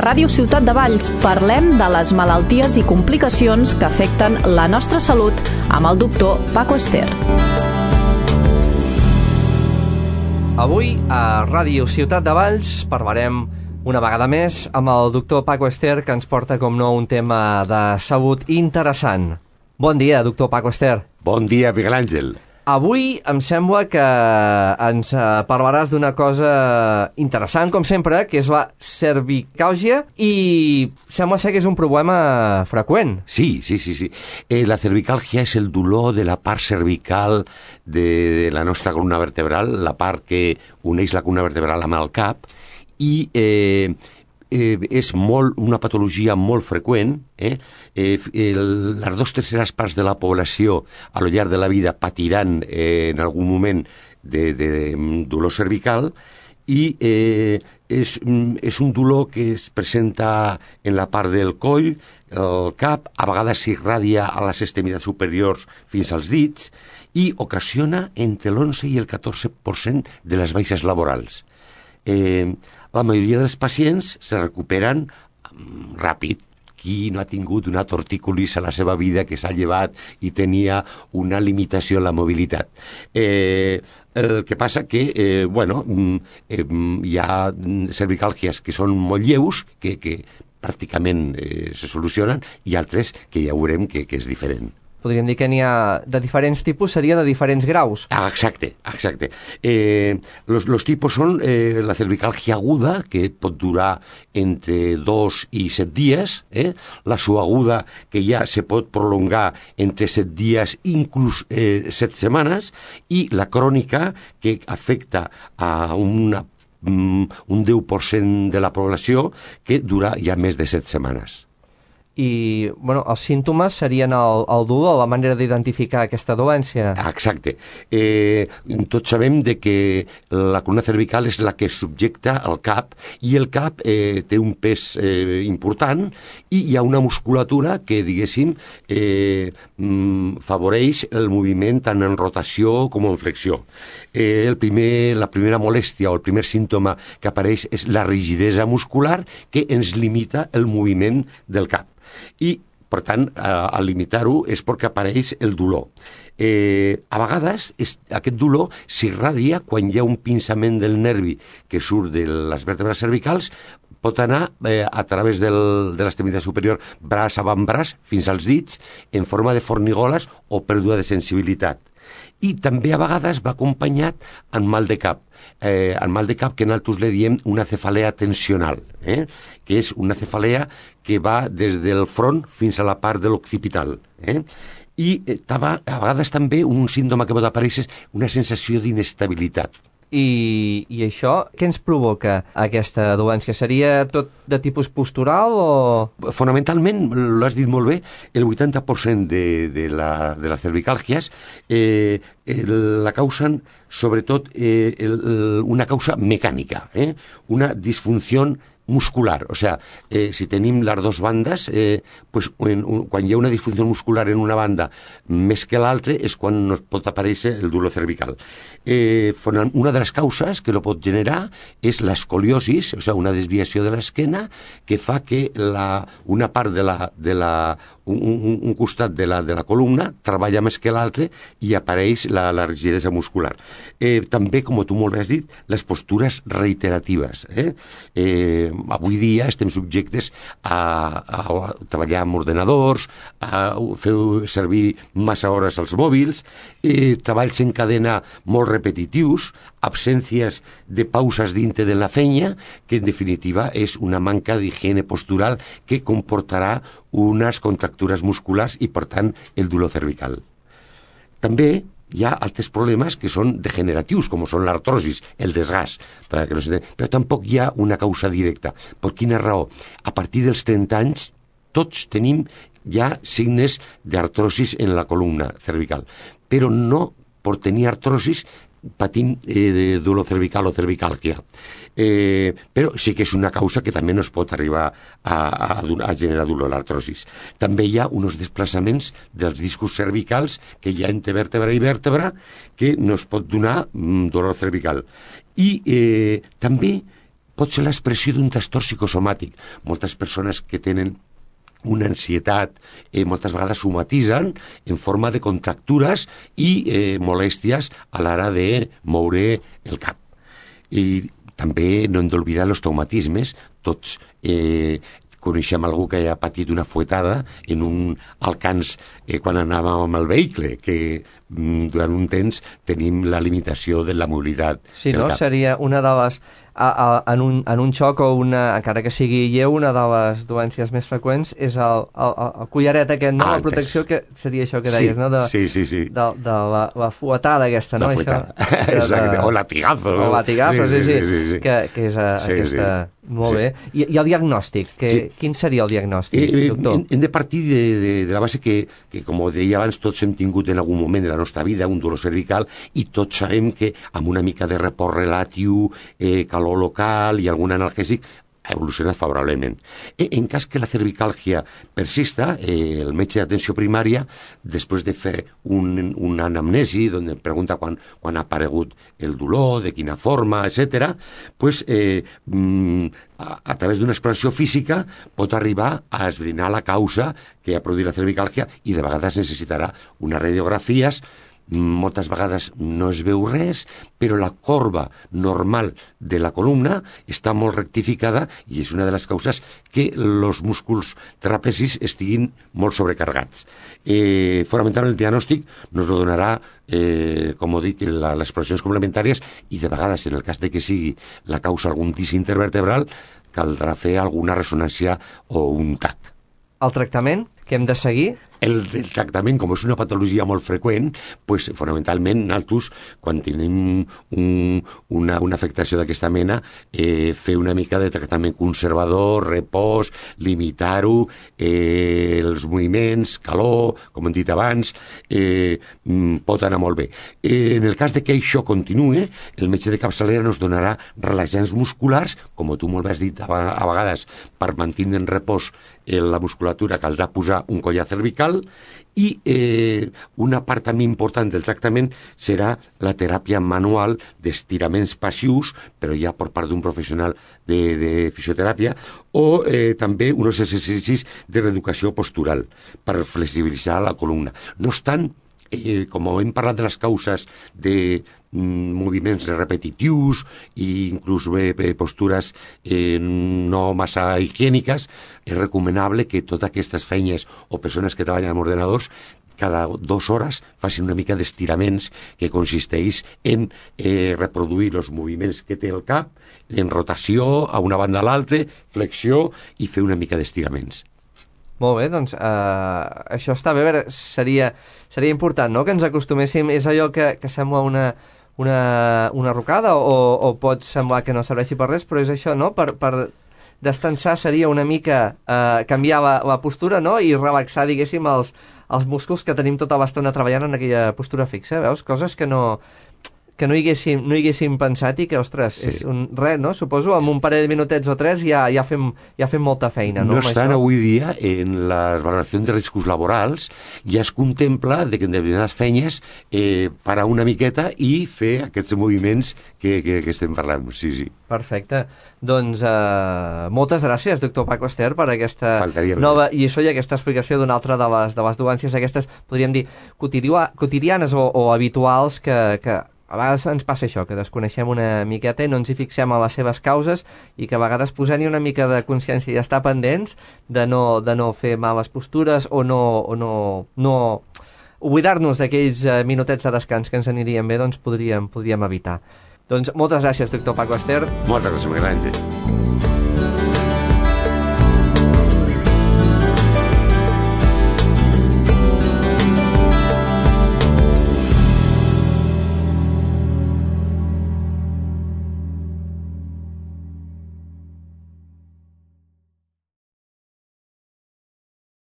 Ràdio Ciutat de Valls parlem de les malalties i complicacions que afecten la nostra salut amb el doctor Paco Ester. Avui a Ràdio Ciutat de Valls parlarem una vegada més amb el doctor Paco Ester, que ens porta, com no, un tema de salut interessant. Bon dia, doctor Paco Ester. Bon dia, Miguel Àngel. Avui em sembla que ens parlaràs d'una cosa interessant, com sempre, que és la cervicàlgia, i sembla ser que és un problema freqüent. Sí. La cervicàlgia és el dolor de la part cervical de la nostra columna vertebral, la part que uneix la columna vertebral amb el cap, i és una patologia molt freqüent. Les 2/3 parts de la població a lo llarg de la vida patiran en algun moment de dolor cervical, i és un dolor que es presenta en la part del coll, el cap, a vegades s'irradia a les extremitats superiors fins als dits i ocasiona entre l'11 i el 14% de les baixes laborals. La majoria dels pacients se recuperen ràpid. Qui no ha tingut una tortícolis a la seva vida, que s'ha llevat i tenia una limitació en la mobilitat? El que passa que, hi ha cervicàlgies que són molt lleus, que pràcticament se solucionen, i altres que ja veurem que és diferent. Podríem dir que n'hi ha de diferents tipus, seria de diferents graus. Exacte. Los tipus són la cervicàlgia aguda, que pot durar entre 2 i 7 dies, la subaguda, que ja se pot prolongar entre 7 dies, inclús 7 setmanes, i la crònica, que afecta a un 10% de la població, que dura ja més de 7 setmanes. I, els símptomes serien el dolor, la manera d'identificar aquesta dolència. Exacte. Tots sabem que la columna cervical és la que subjecta el cap, i el cap té un pes important, i hi ha una musculatura que, diguéssim, favoreix el moviment tant en rotació com en flexió. La primera molèstia o el primer símptoma que apareix és la rigidesa muscular, que ens limita el moviment del cap. I, per tant, al limitar-ho és perquè apareix el dolor. A vegades aquest dolor s'irradia quan hi ha un pinçament del nervi que surt de les vèrtebres cervicals, pot anar a través de l'extremitat superior, braç, avantbraç, fins als dits, en forma de fornigoles o pèrdua de sensibilitat. I també a vegades va acompanyat amb mal de cap. El mal de cap, que nosaltres li diem una cefalea tensional, que és una cefalea que va des del front fins a la part de l'occipital. I a vegades també un símptoma que pot aparèixer és una sensació d'inestabilitat. I això, què ens provoca aquesta dolència? Seria tot de tipus postural o...? Fonamentalment, l'has dit molt bé, el 80% de les cervicàlgies la causen sobretot una causa mecànica, una disfunció muscular. O sea, si tenim les dues bandes, quan hi ha una disfunció muscular en una banda més que l'altra és quan nos pot aparèixer el dolor cervical. Una de les causes que lo pot generar és l'escoliosis, o sea, una desviació de l'esquena que fa que una part un costat de la columna treballa més que l'altre i apareix la rigidesa muscular. També, com tu molt bé has dit, les postures reiteratives. Avui dia estem subjectes a treballar amb ordenadors, a fer servir massa hores als mòbils, treballs en cadena molt repetitius, absències de pauses dintre de la feina, que en definitiva és una manca d'higiene postural que comportarà unes contractures musculars i, per tant, el dolor cervical. També hi ha altres problemes que són degeneratius, com són l'artrosis, el desgast, però tampoc hi ha una causa directa. Per quina raó? A partir dels 30 anys tots tenim ja signes d'artrosis en la columna cervical, però no per tenir artrosis patim dolor cervical o cervicàlgia. Però sí que és una causa que també nos pot arribar a generar dolor, l'artrosis. També hi ha uns desplaçaments dels discos cervicals que hi ha entre vèrtebra i vèrtebra que nos pot donar dolor cervical. I també pot ser l'expressió d'un trastorn psicosomàtic. Moltes persones que tenen una ansietat, moltes vegades somatitzen en forma de contractures i molèsties a l'hora de moure el cap. I també no hem d'oblidar els traumatismes. Tots coneixem algú que ha patit una fuetada en un alcance quan anàvem amb el vehicle, que durant un temps tenim la limitació de la mobilitat. Sí, no? Seria una de les... En un xoc o encara que sigui lleu, una de les doències més freqüents és el collaret aquest, no? La protecció, que seria això que deies, no? Sí. De la fuetada aquesta, no? La fuetada, exacte, o latigazo. O latigazo, sí. Que és aquesta... Molt bé. I el diagnòstic? Quin seria el diagnòstic, doctor? Hem de partir de la base que, com deia abans, tots hem tingut en algun moment de la nostra vida un dolor cervical i tots sabem que amb una mica de repòs relatiu, calor local i algun analgèsic evoluciona favorablement. En cas que la cervicàlgia persista, el metge d'atenció primària, després de fer una anamnesi, on pregunta quan ha aparegut el dolor, de quina forma, etc., pues, a través d'una exploració física pot arribar a esbrinar la causa que ha produït la cervicàlgia i de vegades necessitarà unes radiografies. Moltes vegades no es veu res, però la corba normal de la columna està molt rectificada i és una de les causes que els músculs trapezis estiguin molt sobrecarregats. Fonamentalment el diagnòstic nos lo donarà, com ho dic, les exploracions complementàries i de vegades, en el cas de que sigui la causa algun disc intervertebral, caldrà fer alguna ressonància o un TAC. El tractament que hem de seguir? El tractament, com és una patologia molt freqüent, pues, fonamentalment, nosaltres, quan tenim una afectació d'aquesta mena, fer una mica de tractament conservador, repòs, limitar-ho, els moviments, calor, com hem dit abans, pot anar molt bé. En el cas de que això continuï, el metge de capçalera ens donarà relaxants musculars, com tu molt bé has dit a vegades, per mantenir en repòs la musculatura caldrà posar un collar cervical i una part també important del tractament serà la teràpia manual d'estiraments passius, però ja per part d'un professional de fisioteràpia, o també uns exercicis de reeducació postural per flexibilitzar la columna. No obstant, com hem parlat de les causes de moviments repetitius i inclús postures no massa higièniques, és recomanable que totes aquestes feines o persones que treballen amb ordenadors cada 2 hores facin una mica d'estiraments que consisteix en reproduir els moviments que té el cap, en rotació a una banda a l'altra, flexió i fer una mica d'estiraments. Molt bé, doncs això està bé. A veure, seria important, no?, que ens acostuméssim. És allò que sembla una rocada o pot semblar que no serveixi per res, però és això, no?, per descansar seria una mica canviar la postura, no?, i relaxar, diguéssim, els músculs que tenim tota l'estona treballant en aquella postura fixa, veus? Coses que no hi haguéssim pensat i que, ostres, sí, és res, no? Suposo, amb un parell de minutets o 3 ja fem molta feina, no? No obstant, avui dia, en les valoracions de riscos laborals, ja es contempla que en determinades feines parar una miqueta i fer aquests moviments que estem parlant. Sí. Perfecte. Doncs moltes gràcies, doctor Paco Ester, per aquesta nova lliçó i aquesta explicació d'una altra de les dolences aquestes, podríem dir, quotidianes o habituals que a vegades ens passa això, que desconeixem una miqueta i no ens hi fixem a les seves causes i que a vegades posant-hi una mica de consciència i estar pendents de no fer males postures o no oblidar-nos d'aquells minutets de descans que ens anirien bé, doncs podríem evitar. Doncs moltes gràcies, doctor Paco Ester. Moltes gràcies, Miguel Àngel.